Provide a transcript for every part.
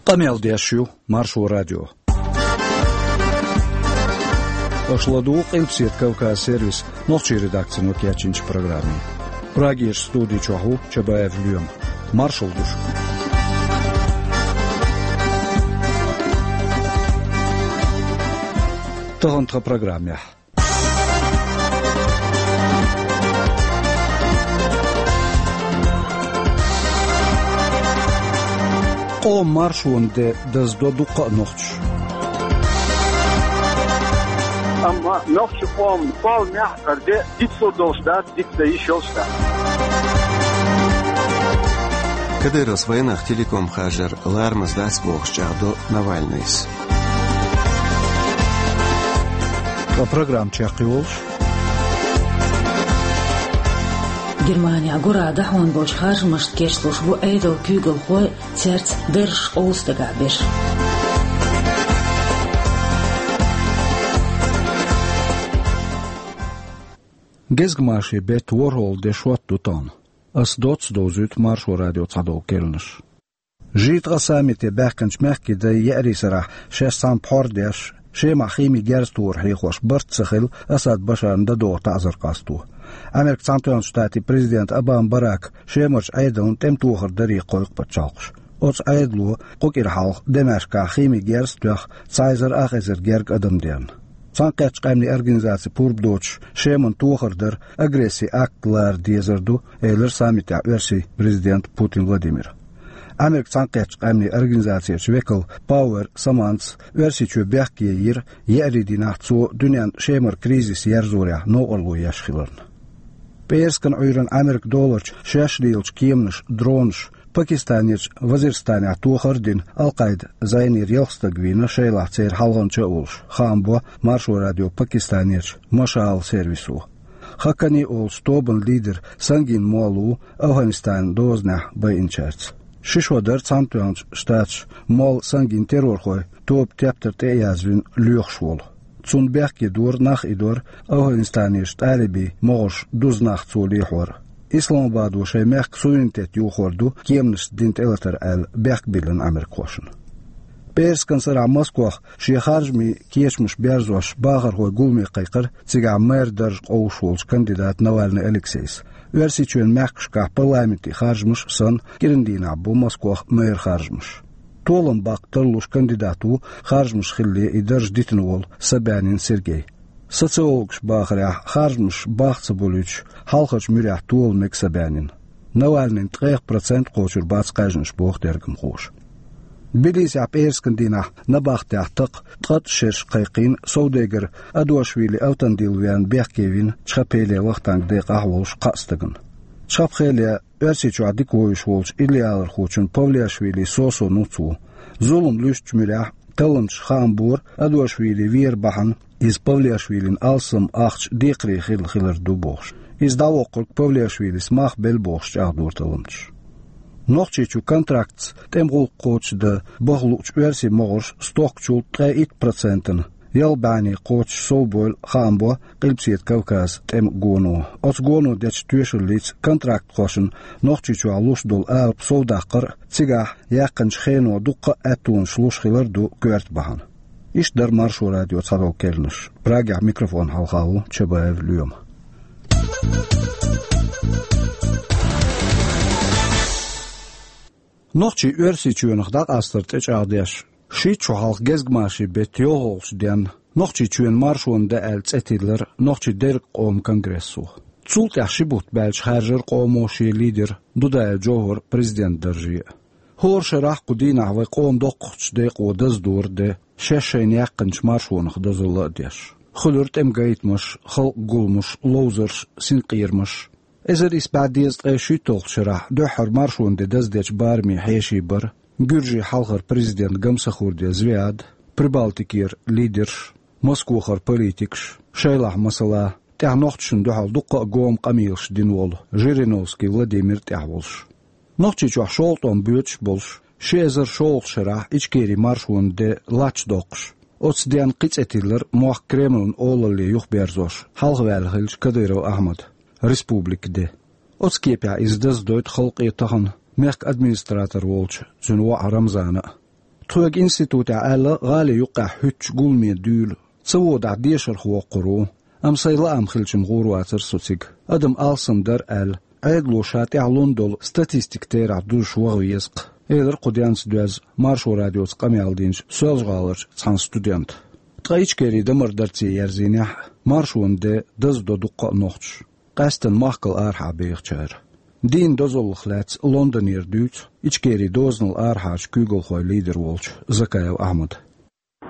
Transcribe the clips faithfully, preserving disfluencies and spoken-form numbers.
Къамел деш ю Маршо радио. Аша ладугӀу Къилбаседа Кавказ сервисан нохчийн редакцино кечйинчу программе. Прагерчу студи чохь ву Чабаев Лоьма. Маршалла ду шуьга. Тахана тхан программехь. Къоман маршонан де даздо дуккха а нохчаша. Амма нохчийн къоман кхолламехь хӀара де дицлур долуш дац, дицдан йиш йолуш дац. Кадыровс вайнах телеком харжар ларамаза дац бохуш чӀагӀдо Навальныйс. Ткъа программа чекхйолуш. Германехь гура дӀахьон болчу харжамашна кечлуш бу Ӏедалан куьйгалхой, цаьрца даржаш къовса дагахь берш. Гезгмашин беттан ворхӀалгӀа де шот ду тахана. Ас доцца довзуьйту Маршо радион цхьадолу керланаш. Жи ткъа саммите баьхкинчу мехкийн дайн еарин сарахь шаьш цхьаьна пхьор деш, Шемахь химин герз тохар хьехош барт ца хилла Асад Башарна дан догӀу таӀзар къасто. Америкин Цхьаьнатоьхначу Штатийн президента Обама Барака Шемарчу Ӏедална тӀеман тохар даре кхойкху пачхьалкхаш. Оцу Ӏедало кху кӀира хьалха Дамаскехь химин герз а тоьхна, цхьа эзар ах эзар гергга адам дерна. Цхьаьнакхеттачу къаьмнийн организацин пурба доцуш, Шеман тохар дар агрессин акт лара дезар ду, элира саммитехь Оьрсийн президента Путин Владимира. Америкин Цхьаьнакхеттачу къаьмнийн организацин векал Пауэр Саманца Оьрсийчоь бехке йира, еарин дийнахь цо дуьненна Шемара кризис ерзорехь новкъарло еш хиларна. ПӀераскан Ӏуьйранна Ӏамеркан доларчу шаьш лелачу кеманаша, дронаша Пакистанерчу Вазиристанехь тохар а дина, Ал-Къаидин зӀенера ялх стаг вийна, шайлахь церан хьалханча а волуш, хаам бо Маршо радион Пакистанерчу Машаал сервисо. Хакани олучу тобанан лидер Сангин Молла ву Афганистанан дозанехь байинчаьрца. Ши шо дара Цхьаьнатоьхначу Штаташа Молла Сангин террорхойн тоба тептар тӀе а язвина лоьхуш волу. Цунна бехке дора нах идор, Афганистанерчу талибийн могӀарш дуза нах цо лехьор. Исламабадо шайн мехкан суверенитет йохор ду кеманашца дина тӀелатар аьлла, бехк биллина Ӏамеркахошна. ПӀераскан сарахь Москвахь шен харжамийн кечамаш берзош бахархойн гуламе кхайкхира цигахь мэр дарж къовсуш волчу кандидата Навальный Алексейс. Оьрсийчоьнан мехкашкахь парламентийн харжамаш а санна, кӀиран дийнахь бу Москвахь мэр харжамаш. Толам баккха тарлуш кандидат ву харжамаш хилале и дарж дитина волу Собянин Сергей. Социологаша бахарехь, харжамаш бахка ца болуьйтуш, хьалхарчу муьрехь тола мега Собянин. Навальныйн ткъех процент кхочур бац кхаьжнаш, боху тергамхоша. Тбилисехь пӀераскан дийнахь набахтехь такха ткъа шераш кхайкхийна совдегар Адошвили Автандил верна бехке вина Чхапхеле Вахтанг декъахь волуш кхаа стагана. Чхапхеле Оьрсийчохь дика вевзаш волчу иллиалархочун Павлиашвили Сосо нуц ву. Зулам луьстучу муьрехь талламчаша хаам бора, Адошвили вер бахьана, иза Павлиашвилина алсам ахча декхаре хилла хилар ду бохуш. Иза дӀавоккхург Павлиашвилис мах белла бохуш чӀагӀдора талламчаша. Нохчийчу контрактца тӀеман гӀуллакх кхочушдан баха луучу оьрсийн могӀарш стохкачул ткъе итт процентана ялх бӀенне кхочуш совбойла, хаам бо Къилбаседа Кавказан тӀеман гоно. Оцу гоно дечу тоьшаллица контрактхошна Нохчийчохь луш долу алапа совдаккхар а, цигахь яьккхинчу хено дуккха а аьттонаш луш хилар а ду коьрта бахьана. Иштта дара Маршо радион цхьадолу керланаш. Прагехь микрофон хьалха ву Чабаев Лоьма. Нохчийн Оьрсийчоьнах дӀакъастар тӀечӀагӀдеш, шийтта шо хьалха гезгмашин беттан йолхалгӀачу денна Нохчийчоьнан маршонан де аьлла цӀе тиллира Нохчийн дерриг къоман конгрессо. Цул тӀаьхьа ши бутт баьлча хаьржира къомо шен лидер Дудаев Джовхар президент дарже а. ХӀора шарахь кху дийнахь вайн къоман доккхахчу декъо даздора де, шаьш шайна яьккхинчу маршонах дозалла а деш. Хуьлура тӀеман гайтамаш, халкъан гуламаш, ловзарш, синкъерамаш. Эзар исс бӀе дезткъе шийтталгӀачу шарахь дуьххьара маршонан де даздечу барамийн хьеший бара гуьржийн хьалхара президент Гамсахурдиев Звиад, Прибалтикера лидерш, Москвахара политикаш, шайлахь, масала, тӀаьхьа нохчашна дуьхьал дуккха а гома къамелаш дина волу Жириновский Владимир тӀехь волуш. Нохчийчохь шолгӀа тӀом боьдуш а болуш, ши эзар шолгӀачу шарахь Ичкерин маршонан де латта доккхуш, оцу денна кхин цӀе тиллира мохк Кремлан олалле юхаберзош хьалхаваьлла хиллачу Кадыров Ахьмадан республикан де. Оцу кепехь иза даздойту халкъе тахана мехкан администратор волчу цуьнан воӀа Рамзана а. Тхоьга институтехь аьлла, гӀали юккъехь хӀуьттучу гуламе дуьйла. Ца водахь, дешарх воккхур ву. Амма сайн лаам хилча-м гӀур вацара со цига. Адам алсам дара аьлла, Ӏедало ша тӀехь лун долу статистика терахь дузуш ваха веза-кх, элира кху денца доьзна Маршо радиоца къамел динчу Соьлжа-ГӀаларчу цхьана студента. Ткъа Ичкери дан-мардарца ерзийнехь, маршонан де даздо дуккха а нохчаша, къаьсттина махкал арахьа бехачара. Дийнан дозаллах лаьцна Лондонера дуьйцу Ичкери дозанал арахьарчу куьйгалхойн лидер волчу Закаев Ахьмада.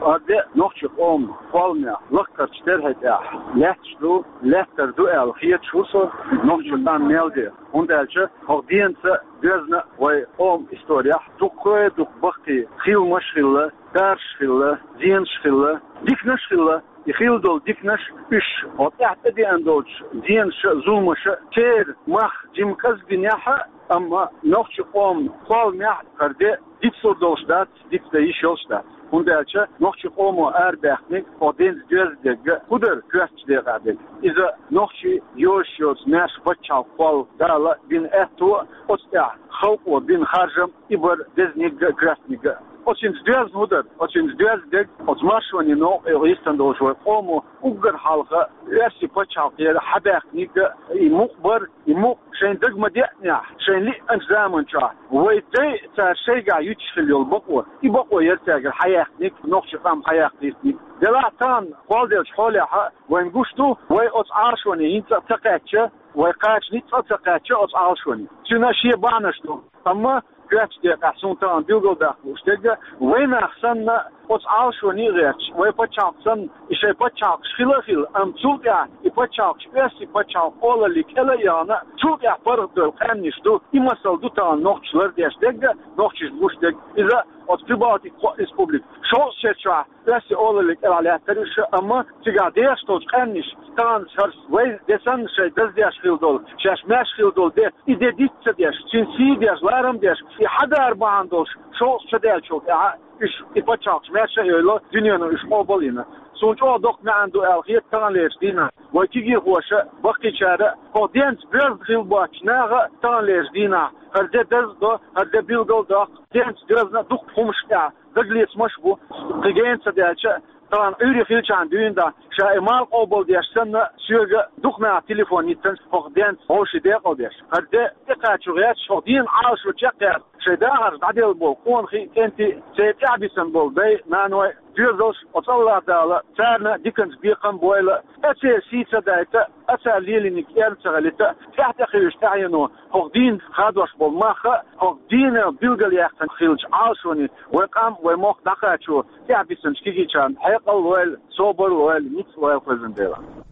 Ара де нохчийн къоман кхолламехь лаккхарчу терхи тӀехь лаьтташ ду, лаьттар ду аьлла хеташ ву со нохчийн къам мел де. ХӀунда аьлча хӀокху денца доьзна вайн къоман историяхь дуккха а дукха баккхий хиламаш а хилла, дарш а хилла, зенаш а хилла, диканаш а хилла. И хилла долу диканаш, уьш хӀокху тӀехь тӀедеана долчу зенаша а, зуламаша а, церан мах жимма кӀезиг динехь а, амма нохчийн къоман кхолламехь хӀара де дицлур долуш дац, дицдан йиш йолуш дац. ХӀунда аьлча нохчийн къомо арабаьхнарг хӀокху денца доьзна дерг хӀун дара коьртачу декъехь дерг? Иза нохчийн йозуш йоцу маьрша пачхьалкх кхолла Дала бина аьтто а, оцу тӀехь халкъо бина харжам а, и бара дезаниг а, коьртаниг а. Оцуьнца доьзна хӀун дара? Оцуьнца доьзна дерг оцу маршонийн новкъа йистина долуш вайн къомо уггар хьалха оьрсийн пачхьалкхера хьабаьхнарг а, и мукъ бара, и мукъ шайн дага ма-деънехь, шайн лиъначу заманчохь вайн дай а цара шайгахь юьтуш хилла йолу бакъо, и бакъо яра цаьргара хьаяьккхинарг, нохчийн къам хьаяккха йитинарг. Делахь тахана кхолладеллачу хьолехь а вайна гуш ду, вай оцу Ӏалашоне хӀинца а ца кхаьчча, вай кхача ницкъ а ца кхаьчча оцу Ӏалашоне. Цуьнан шен бахьанаш ду. Амма коьртачу декъехь суна тахана билгалдаккха лууш дерг а, вай нах санна оцу Ӏалашоне а гӀерташ, вай пачхьалкх санна, и шайн пачхьалкхаш хила а хилла, амма цул тӀаьхьа и пачхьалкхаш оьрсийн пачхьалкхан олалле кӀела а яхана, цул тӀаьхьа паргӀатдевлла къаьмнаш ду. И масал ду тахана нохчаша лардеш дерг а, нохчашна гуш дерг а. Иза оцу Прибалтикан кхо республика. Шовзткъа шерачохь оьрсийн олалле кӀелахь лаьттара уьш, амма цигахь дехаш долчу къаьмнаша тахана хӀара вай де санна шайн даздеш хилла долу, шаьш маьрша хилла долу де, и де диц ца деш, цуьнан сий деш, ларам деш, и хьадара бахьана долуш шовзткъа шо даьллачул тӀаьхьа уьш, и пачхьалкхаш маьрша а йойла, дуьнено уьш къобал а йина. Суна чӀогӀа доккха маьӀна ду аьлла хета таханлерчу дийнахь вайн кегийрхоша а, баккхийчара а, хӀокху денца доьзна хилла боцчу наха а таханлерчу дийнахь хӀара де даза а до, хӀара де билгал а доккху, денца доьзна а дуккха хӀуманаш тӀехь дагалецамаш а бу. Кхин гена ца даьлча а, тахана Ӏуьйре хилчахьана дуьйна дӀа, ша и малх къобал деш санна, соьга дукха наха телефон йиттина, хӀокху денца вовшийн декъал деш. ХӀара де тӀекхачо гӀерташ, хӀокху дийнан Ӏалашо чекхъяьлла, шайн дахарш дӀаделла болу къонахий а, кӀентий а, церан тӀаьхьабисина болу дай а, наной а, доьзалш а, оцу АллахӀ Дала царна диканца бекхам а бойла, а церан сий ца дайта, а цара лелийнарг эрна ца хилийта, тӀаьхьа тӀекхуьуш тӀаьхьено хӀокху дийнан хадош болу мах а, хӀокху дийнан билгалъяьккхина хиллачу Ӏалашоне вайн къам а, вайн мохк а дӀакхачо тӀаьхьабисинчу кегийчарна хьекъал а лойла, собар а лойла, ницкъ а лойла, кхоьззина Делахь.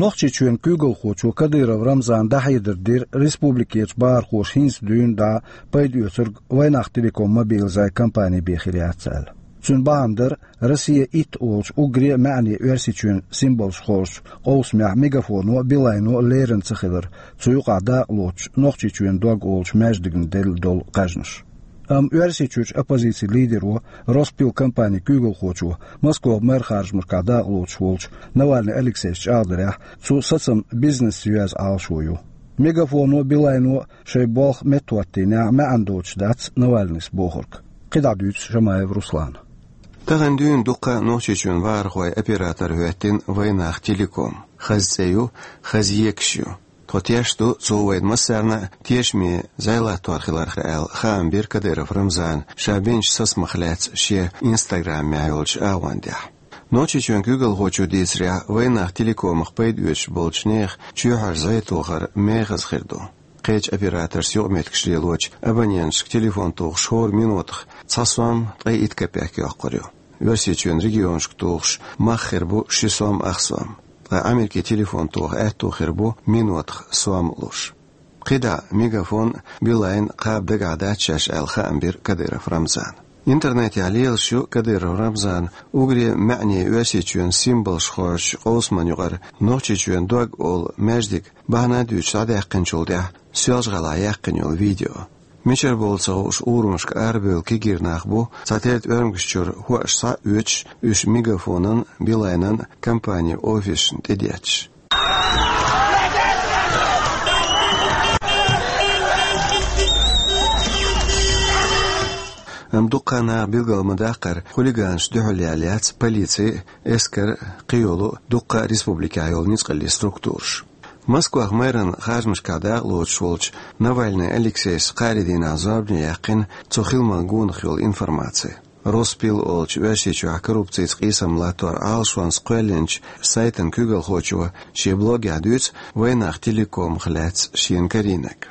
Нохчийчоьнан куьйгалхочо Кадыров Рамзана дӀахьедар дира республикерчу бахархоша хӀинца дуьйна дӀа пайда оьцург Вайнах Телеком мобилизацин компани бен хир яц аьлла. Цуьнан бахьана дара Россия итт олучу уггаре а маьӀне Оьрсийчоьнан символаш хоржучу къовсамехь Мегафоно а, Билайно а лерина ца хилар, цу юкъахь дакъа лоцуш Нохчийчоьнан дог олучу маьждигна делла долу кхаьжнаш. Амма Оьрсийчуьрчу оппозицин лидеро, Роспил компанин куьйгалхочо, Москвахь мэр харжамашкахь дакъа лоцуш волчу Навальный Алексейс чӀагӀдарехь, цу сацам бизнесца йоьзна Ӏалашо ю. Мегафоно а, Билайно а шайн болх меттахӀоттийнехь, маьӀна доцуш дац Навальныйс бохург. КхидӀа дуьйцу Шамаев Руслана. Тахана дуьйна дуккха а Нохчийчоьнан бахархойн оператор хӀоьттина Вайнах Телеком. Хаза цӀе ю, хаза екаш ю. Тхо тешна ду, цо вайна массарна а тешаме зӀе латтор хиларх аьлла, хаам бира Кадыров Рамзана ша бинчу сацамах лаьцна шен Инстаграмехь йолчу агӀондехь. Нохчийчоьнан куьйгалхочо дийцарехь, Вайнах Телекомах пайда оьцуш болчу нехан чоьхьара зӀе тохар мехаза хир ду. Кхечу операторца юкъаметтигаш лелочу абоненташка телефон тухуш хӀора минотах цхьа сом ткъе итт кепек йоккхур ю. Оьрсийчоьнан регионашка тухуш мах хир бу ши сом ах сом. Ткъа Америкин телефон тоха аьтто хир бу минотах сом луш. КхидӀа Мегафон а, Билайн а кхаба дагахь дац шаьш аьлла, хаам бира Кадыров Рамзана. Интернетехь лелаш ю Кадыров Рамзана уггаре а маьӀне Оьрсийчоьнан символаш хоржучу къовсаман юкъара Нохчийчоьнан дог олу маьждиг бахьана а дуьйцуш дӀадаьккхинчул тӀаьхьа Соьлжа-ГӀалахь яьккхина йолу видео. Мичара болу ца хууш урамашка арабевлла кегийра нах бу, цхьатерра тӀоьрмигаш чуьра хӀоаш схьа а оьцуш, уьш Мегафонан а, Билайнан а компанин офисашна тӀедетташ. Амма дуккха а наха билгал ма даккхара, хулиганашна дуьхьал яьлла яц полици, эскар, кхыйолу дуккха а республикехь йолу ницкъаллин структураш. Москвахь мэран харжамашкахь дакъалоцуш волчу Навальный Алексейс кхаарин дийнахь зорбане яьккхина цу хиламан гонах йолу информаци. Роспил олучу Оьрсийчохь коррупцица къийсам латтор Ӏалашонца кхоьллинчу сайтан куьйгалхочо шен блогехь дуьйцу Вайнах Телекомах лаьцна шена карийнарг.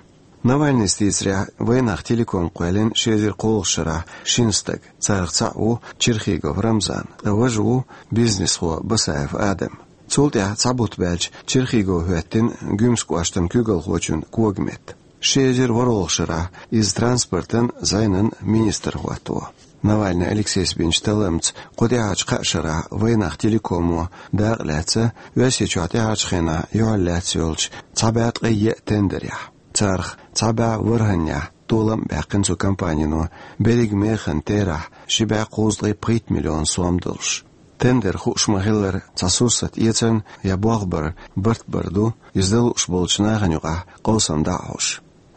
Навальныйс дийцарехь, Вайнах Телеком кхоьллина ши эзар кхоалгӀачу шарахь шина стага, царах цхьаъ ву Черхигов Рамзан, ткъа важа ву бизнесхо Басаев Адам. Цул тӀаьхьа цхьа бутт баьлча Черхигов хӀоьттина Гуьмсан кӀоштан куьйгалхочун когаметта. Ши эзар ворхӀалгӀачу шарахь иза транспортан, зӀенан министр хӀоттаво. Навальный Алексейс бинчу талламца кху тӀаьхьарчу кхаа шарахь Вайнах Телекомо дакъа лаьцна Оьрсийчохь тӀаьхьарчу хенахь юьхьарлаьцна йолчу цхьа бӀе ткъе еа тендерехь. Царах цхьа бӀе ворхӀаннехь толам а баьккхина цу компанино берриг механа терахь ши бӀе кхузткъе пхийтта миллион сом долуш. Тендер хууш ма-хиллара цхьа сурсат эцарна я болх баран барт бар ду, иза дан лууш болчу нахана юкъахь къовсам дӀа а хьош.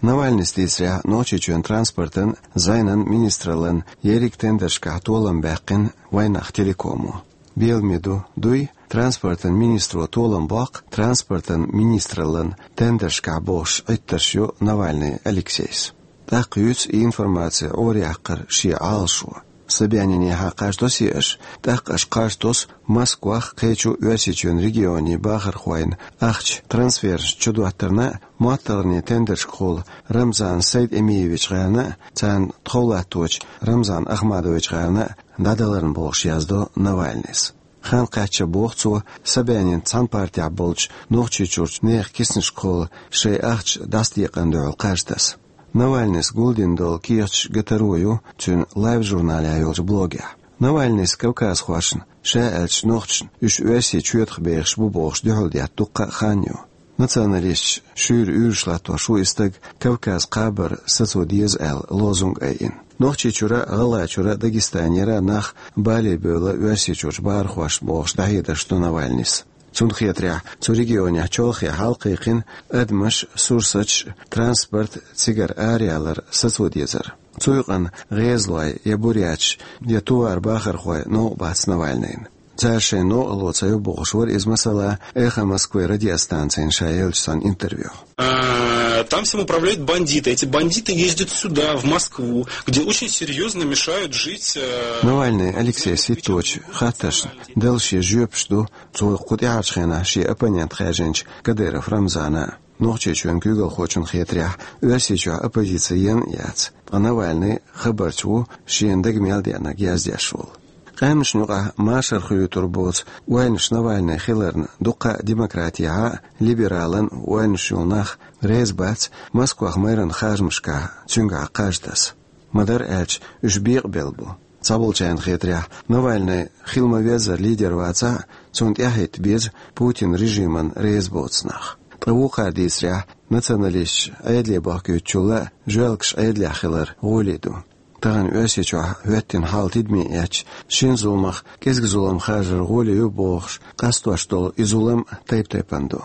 Навальныйс дийцарехь, Нохчийчоьнан транспортан, зӀенан министраллан ерриг тендершкахь толам баьккхина Вайнах Телекомо. Беламе ду, дуй, транспортан министро толам боккху транспортан министраллан тендершкахь бохуш Ӏиттарш ю Навальный Алексейс. ТӀаккха юьйцу и информаци Ӏораяьккхар шен Ӏалашо. Собянинехьа кхаж тосий аша, тӀаккха аша кхаж тосу Москвах, кхечу Оьрсийчоьнан регионийн бахархойн ахча трансфераш чудоттарна а, моттаргӀанийн тендершкахула Рамзан Сайд-Эмиевич гӀарна а, царна тхов латточу Рамзан Ахмадович гӀарна а дӀадаларна бохуш яздо Навальныйс. Хан кхаьчча боху цо, Собянинца цхьана партехь болчу Нохчийчуьрчу нехан киснашкахула шайн ахча дӀасадекъарна дуьхьал кхаж таса. Навальныйс гулдина долу кехаташ гатаро ю цуьнан Life журналехь йолчу блогехь. Навальныйс кавказхошна, ша аьлча нохчашна, уьш Оьрсийчоьнах бехаш бу бохуш дуьхьал детта дуккха а хан ю. Националисташ шуьйра уьйраш латтош ву и стаг Кавказ кхабар сацо деза аьлла лозунг айина. Нохчийчуьра, ГӀалгӀайчуьра, Дагестанера нах бале бевлла Оьрсийчуьрчу бахархошна бохуш дӀахьедарш до Навальныйс. Цунна хетарехь, цу регионехь чолхе хьалакхайкхина адамаш, сурсаташ, транспорт цигара араялар сацо дезар. Цу юкъана гӀезалой я буряташ, я тувар бахархой новкъа бац Навальныйна. Цара шайна новкъарло ца йо бохуш вара иза, масала, «Эхо Москвы» радиостанцина ша еллачу цхьана интервьюхь. А, там всем управляют бандиты. Эти бандиты ездят сюда, в Москву, где очень серьёзно мешают жить, э, Навальный Алексейс хӀитточу хаттаршна дала шен жоьпаш ду цо кху тӀаьхьарчу хенахь шен оппонент хаьржинчу Кадыров Рамзана. Нохчийчоьнан куьйгалхочунна хетарехь, Оьрсийчохь оппозици ена а яц, ткъа Навальный хабарча ву, шена дага мел деанарг яздеш волу. Къаьмнашна юкъахь машар хуьлуьйтур боцу ойланаш Навальный хиларна дуккха а демократехьа а, либералан ойланаш йолу нах реза бац Москвах мэран харжамашкахь цуьнгахь кхаж таса. Ма-дарра аьлча, уьш бекъабелла бу. Цхьаболчарна хетарехь, Навальный хила ма-веззара лидер вацахь а, цунна тӀаьхьахӀитта беза Путин режиман реза боцу нах. Ткъа вукхара дийцарехь, националисташ Ӏедале бахкуьйтучул а жоьлкаш Ӏедалехь хилар гӀоле ду. Тахана Оьрсийчохь хӀоьттина хьал тидаме эцча, шина зуламах кӀезиг зулам харжар гӀоле ю бохуш, къастош долу и зулам тайп-тайпана ду.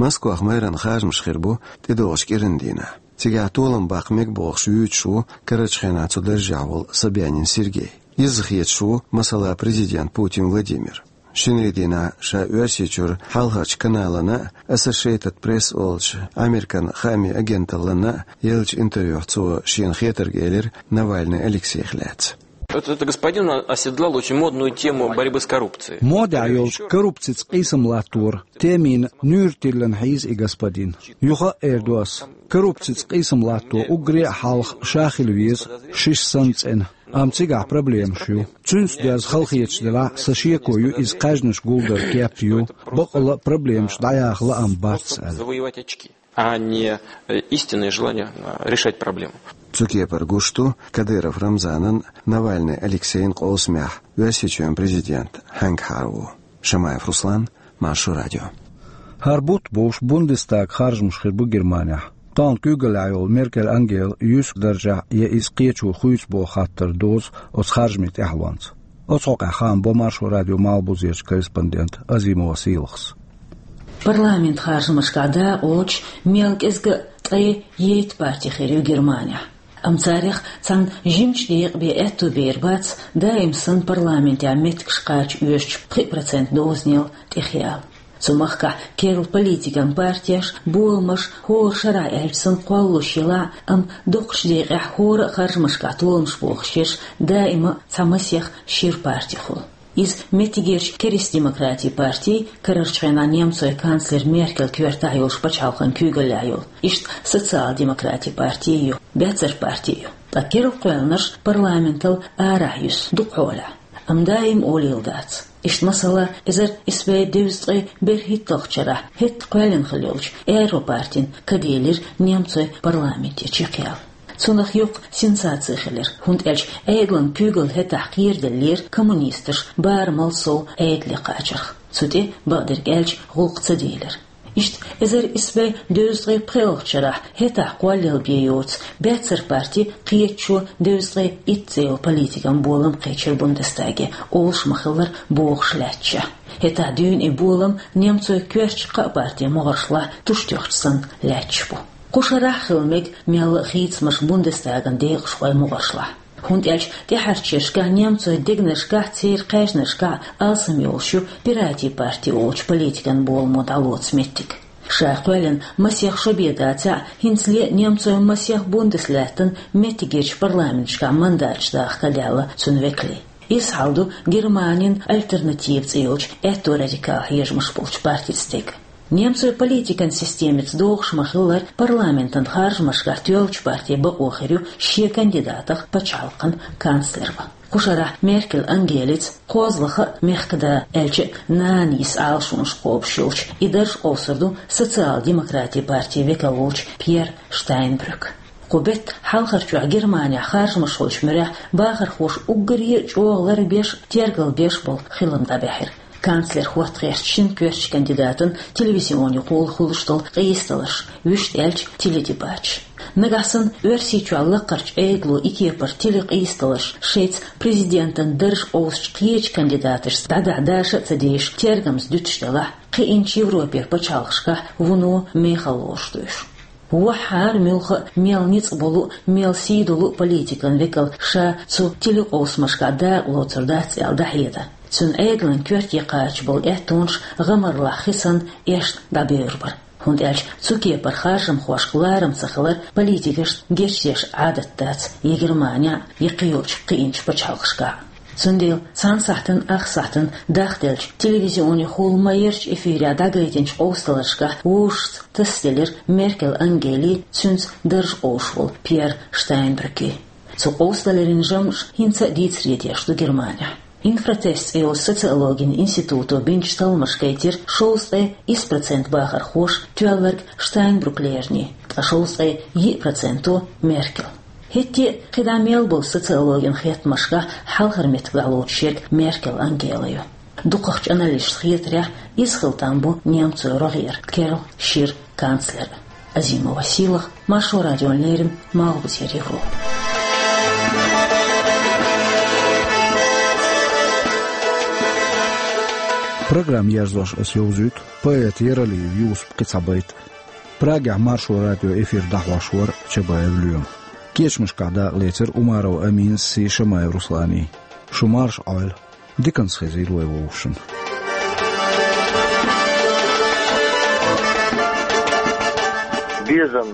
Москвах мэран харжамаш хир бу тӀедогӀучу кӀиран дийнахь. Цигахь толам баккха мега бохуш вуьйцуш ву карарчу хенахь цу даржехь волу Собянин Сергей. Изза хеташ ву, масала, президент Путин Владимир. Шинарин дийнахь ша Оьрсийчуьра Хьалхарчу каналана а, Associated Press олучу Американ хаамийн агенталлана а еллачу интервьюхь цо шена хетарг элира Навальный Алексейх лаьцна. Этот, этот господин оседлал очень модную тему борьбы с коррупцией. Модехь йолчу коррупцица къийсам латтор темина нуьйр тиллина хьийза и господин. Юха а эр ду ас, коррупцица къийсам латто уггаре а хьалха ша хила веза, шиша санна цӀена. Амма цигахь проблемаш ю. Цуьнца доьзна халахеташ делахь а, сан шеко ю иза кхаьжнаш гулдар кеп ю, баккъалла а проблемаш дӀаяха лаам бац аьлла. Завоевать очки, а не, э, истинное желание, э, решать проблему. Цу кепара гуш ду Кадыров Рамзанан, Навальный Алексейн къовсамехь Оьрсийчоьнан президент хьаьнгахьара ву. Шамаев Руслан, Маршо радио. ХӀара бутт бовш Бундестаган харжамаш хир бу Германехь. Тахана куьйгаллехь йолу Меркель Ангела юьск даржехь я иза кхечо хуьйцу боху хаттар дозу оцу харжамийн тӀаьхьалонца. Оцу хьокъехь хаам бо Маршо радион Малхбузерчу корреспондента Азимова Сийлахьас. Парламент харжамашкахь дакъалоцуш мел кӀезиг а ткъе итт парти хир ю Германехь. Амма царех цхьана жимачу декъе бен аьтто бер бац даим санна парламентехь меттигаш кхача оьшучу пхи процент дозанел тӀехъяла. Цу махкахь керла политикан партеш, боламаш хӀора шарахь аьлча санна кхоллалуш елахь а, амма дукхачу декъехь хӀора а харжамашкахь толамаш бохуш ерш даима а цхьа масех шира парти хуьлу. Иза меттигерчу Керста-демократийн партий, карарчу хенахь немцойн канцлер Меркел коьртахь йолчу пачхьалкхан куьйгаллехь йолу, иштта Социал-демократийн партий ю, Баьццара партий ю. Ткъа керла кхоьллинарш парламентал арахь юьсу дукха хьолехь. Амма даим олийла дац. Иштта масала, эзар исс бӀе дезткъе берхӀитталгӀачу шарахь хӀетта кхоьллина хилла йолчу Аьрру партин каделира немцойн парламенте чекхъяла. Цунах юкъа сенсаци хилира, хӀунда аьлча Ӏедалан куьйгалла хӀетахь кхераделлера коммунисташ барамал сов Ӏедале кхачарх. Цу тӀе, бакъдерг аьлча, гӀуллакх ца делира. Иштта эзар исс бӀе дезткъе пхоьалгӀачу шарахь хӀетахь кхоллаелла бен йоцу Баьццара парти кхеташо дезткъе итт цӀе йолу политикан болам кхечира Бундестаге, олуш ма-хиллара, бохуш лаьтташехь. ХӀетахь дуьйна и болам немцойн коьртачу кхаа партин могӀаршлахь туш тоьхча санна лаьтташ бу. Кху шарахь а хила мега мелла а хийцамаш Бундестаган декъашхойн могӀаршлахь. ХӀунда аьлча тӀаьхьарчу шерашкахь немцойн дегнашкахь, церан кхаьжнашкахь алсам йолуш ю Пиратийн парти олучу политикан боламо дӀалоцу меттиг. Ша кхоьллина масех шо бен дацахь а, хӀинцале а немцойн масех Бундеслаьттан меттигерчу парламенташкахь мандаташ даха ка даьлла цуьнан векалийн. Иза хьал ду Германин «Альтернатива» цӀе йолчу аьтто радикал хьежамаш болчу партица дерг. Немцойн политикан системица догӀуш ма-хиллара, парламентан харжамашкахь тоьллачу партин бакъо хир ю шен кандидатах пачхьалкхан канцлер ван. Кху шарахь Меркел Ангелица, кхозлагӀа а мехкада, аьлча а нана йиса Ӏалашонаш кхобуш йолчу, и дарж къовсур ду Социал-демократийн партин векал волчу Пьер Штайнбрюк. Кху беттан хьалхарчохь Германехь харжамаш хуьлучу муьрехь бахархоша уггаре а чӀогӀа ларбеш а, тергалбеш а болу хилам дӀабаьхьира. Канцлер хӀотта гӀертачу шина коьртачу кандидатан телевизионехула хуьлуш долу къийсадаларш, вуьшта аьлча, теледебаташ. Нагахь санна Оьрсийчохь лаккхарчу Ӏедало и кепара телекъийсадаларш шайца президентан дарж къовсучу кхечу кандидаташца дӀадахьа даша а ца дезаш, тергамза дуьтуш делахь, кхиъначу Европера пачхьалкхашкахь вуно мехала лоруш ду уьш. Ваххьара муьлхха а, мел ницкъ болу а, мел сий долу а политикан векал ша цу телекъовсамашкахь дакъа лоцур дац аьлла дӀахьеда. Цуьнан Ӏедалан коьрте кхача болу аьттонаш гӀамарлахь хи санна эшна дӀабевр бара. ХӀунда аьлча цу кепара харжамхошка ларам ца хилар политикашна гечдеш Ӏадат дац я Германехь а, я кхийолчу кхиъначу пачхьалкхашкахь а. Цундела цхьана сахьтана ах сахьтана дахделлачу телевизионехула ма-ярчу эфирехь дӀагайтинчу къовсадаларшкахь вовшашца тасаделира Меркел Ангелин, цуьнца дарж къовсуш волу Пьер Штайнбрюкин. Цу къовсадаларийн жамӀаш хӀинца а дийцаре деш ду Германехь. «Инфратест» цӀе йолчу социологин институто бинчу талламаша гайтира, шовзткъе исс процент бахархоша тоьлларг Штайнбрюк лерина, ткъа шовзткъе йиъ проценто — Меркел. ХӀетте а кхидӀа мел болу социологин хеттамашкахь хьалхара меттиг дӀалоцуш ерг Меркел Ангела ю. Дукхахчу аналисташна хетарехь, иза хила там бу немцойн рогӀера керла шира канцлер. Азимова Сийлаха, Маршо радиона леррина, Малхбузера Европа. Программа ерзош аса йовзуьйту поэт Яралиев Юсупан кхин цхьа байт. Прагехь Маршо радион эфир дӀахьош вара Чабаев Лоьма. Кечамашкахь дакъалецира Умаров Аминас сий Шамаев Русланан. Шу марша Ӏойла. Диканца хезийла вай вовшашна. Безам.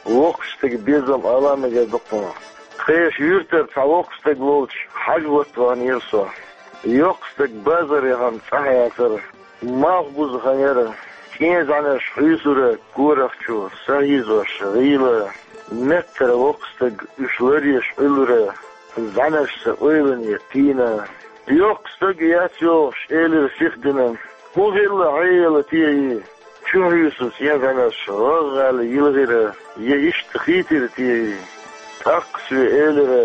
Воккхачу стеган безам ала мегар ду-кх хьуна. Тхешан юьртара цхьа воккха стаг волчу хьажа хӀотта ваханера со. Йоккха стаг базар яхана цӀахь яцара. Малхбузахана яра. ЦӀен зӀаьнарш хьуьйсура корах чу, са хьийзош гӀийла. Меттара воккха стаг уьш ларъеш Ӏуьллура, зӀаьнарш сан ойлане тийна. Йоккха стаг яц йогӀуш, элира сихдина. ХӀун хилла хьеяла те и? Чу хьуьйсу цӀен зӀаьнарш гӀагӀгӀаьлла йилхира, я иштта хийтира те и? ТӀаккха соьга элира: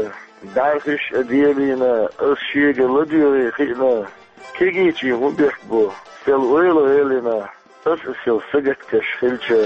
«БӀаьрхиш а делийна, ас шега ладоьгӀий хиъна. Кегийчийн хӀун бехк бу, сел ойла гӀелина, ас а сел сагатдеш хилча».